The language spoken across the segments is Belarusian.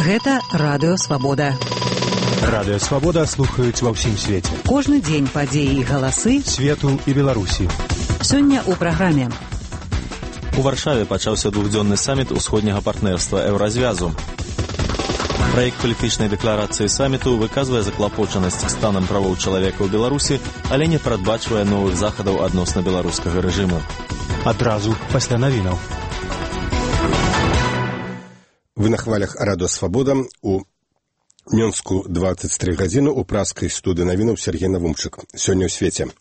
Гэта Радыё Свабода. Радыё Свабода слухаюць ва ўсім свеце. Кожны дзень падзеі і галасы свету і Беларусі. Сёння ў праграме. У Варшаве пачаўся двухдзённы саміт усходняга партнерства Еўразвязу. Праект палітычнай дэкларацыі саміту выказвае заклапочанасць станам правоў чалавека ў Беларусі, але не прадбачвае новых захадаў адносна беларускага рэжыму. Адразу пасля навінаў. Вы на хвалях Радыё Свабода. У Мінску 23 гадзіны у праскай студыі навінаў Сергей Навумчык. Сёння ў свеце.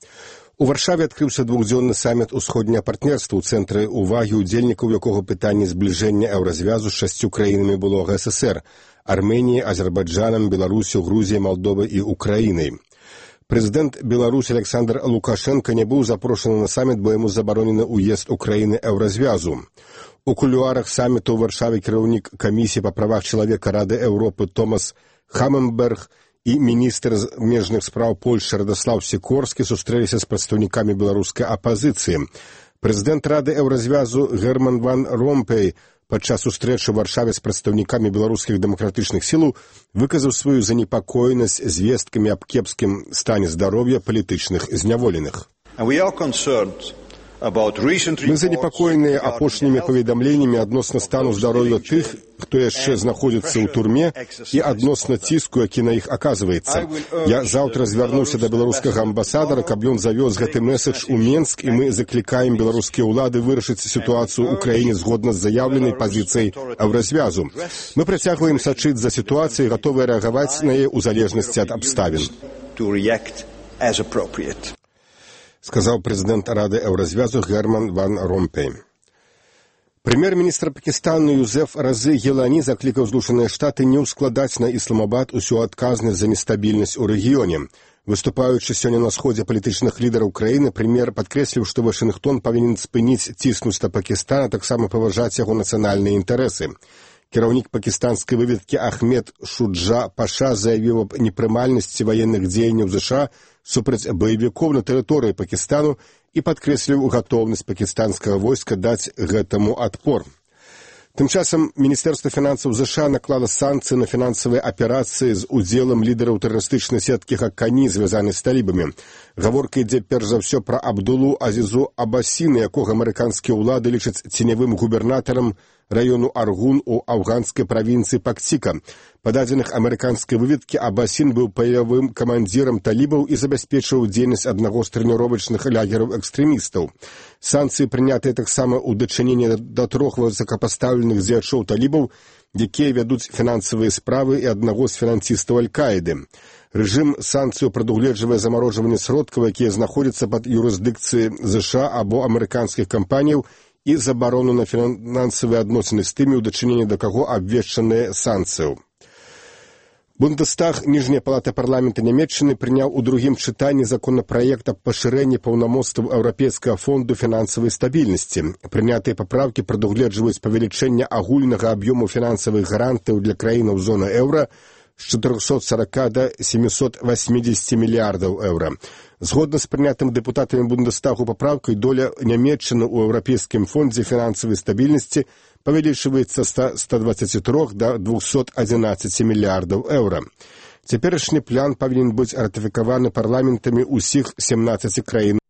У Варшаве адкрыўся двухдзённы саміт усходняга партнерства, у цэнтры увагі удзельнікаў якога пытанне збліжэння еўразвязу з 6 краінамі былога СССР – Арменіяй, Азербайджанам, Беларусю, Грузіяй, Малдовай і Украінай. Прэзідэнт Беларусі Александр Лукашенко не быў запрошаны на саміт, бо яму забаронены ўезд Украіны еўразвязу. У кулуарах саміту ў Варшаве кіраўнік камісіі па правах чалавека Рады Еўропы Томас Хаммерберг і міністр замежных спраў Польшчы Радаслаў Сікорскі сустрэліся з прадстаўнікамі беларускай апазіцыі. Прэзідэнт Рады Еўразвязу Герман ван Ромпей падчас сустрэчы ў Варшаве з прадстаўнікамі беларускіх дэмакратычных сілаў выказаў сваю занепакоенасць звесткамі аб кепскім стане здароўя палітычных зняволеных. Мы занепакоеныя апошнімі паведамленнямі адносна стану здароўя тых, хто яшчэ знаходзіцца ў турме, і адносна ціску, які на іх аказваецца. Я заўтра звярнуўся да беларускага амбасадара, каб ён завёз гэты мэсадж у Менск, і мы заклікаем беларускія ўлады вырашыць сітуацыю ў краіне згодна з заяўленай пазіцыяй еўразвязу. Мы працягваем сачыць за сітуацыяй, гатовыя рэагаваць на яе ў залежнасці ад абставін. Сказаў прэзідэнт Рады Еўразвязу Герман ван Ромпей. Прэм'ер-міністр Пакістану Юзеф Разы Гілані заклікаў Злучаныя Штаты не ўскладаць на Ісламабад усю адказнасць за нестабільнасць у рэгіёне. Выступаючы сёння на сходзе палітычных лідараў краіны, прэм'ер падкрэсліў, што Вашынгтон павінен спыніць ціснуць на Пакістан, а таксама паважаць яго нацыянальныя інтарэсы. Кіраўнік пакістанскай выведкі Ахмед Шуджа Паша заявіў аб непрымальнасці ваенных дзеянняў ЗША супраць баевікоў на тэрыторыі Пакістану і падкрэсліў гатоўнасць пакістанскага войска даць гэтаму адпор. Тым часам Міністэрства фінансаў ЗША наклала санкцыі на фінансавыя аперацыі з удзелам лідараў тэрарыстычнай сеткі Хакані, звязанай з талібамі. Гаворка ідзе перш за ўсё пра Абдулу Азізу Абасіна, якога амерыканскія ўлады лічаць ценявым губернатарам раёну Аргун у афганскай правінцыі Пактика. Па дадзеных амерыканскай выведкі Абасін быў паявым камандзірам талібаў і забяспечваў дзейнасць аднаго з трэніровачных лагераў экстрэмістаў. Санкцыі прынятыя таксама ў дачыненні да 3 высокапастаўленых дзеячоў талібаў, якія вядуць фінансавыя справы, і аднаго з фінансістаў Аль-Каіды. Рэжым санкцыю прадугледжвае замарожванне сродкаў, якія знаходзяцца пад юрысдыкцыяй ЗША або амерыканскіх кампаніяў, і забарону на фінансавыя адносіны з тымі, у дачыненні да каго абвешчаныя санкцыяў. Бундестаг, ніжняя палата парламента Нямецчыны, прыняў у другім чытанні законапраект аб пашырэнні паўнамоцтваў Еўрапейскага фонду фінансавай стабільнасці. Прынятыя паправкі прадугледжваюць павелічэнне агульнага аб'ёму фінансавых гарантыяў для краінаў зоны еўра з 440 да 780 мільярдаў еўра. Згодна з прынятым дэпутатамі Бундестагу папраўкай, доля Нямецчыны ў Еўрапейскім фондзе фінансавай стабільнасці павялічваецца з 123 да 211 мільярдаў еўра. Цяперашні план павінен быць ратыфікаваны парламентамі ўсіх 17 краін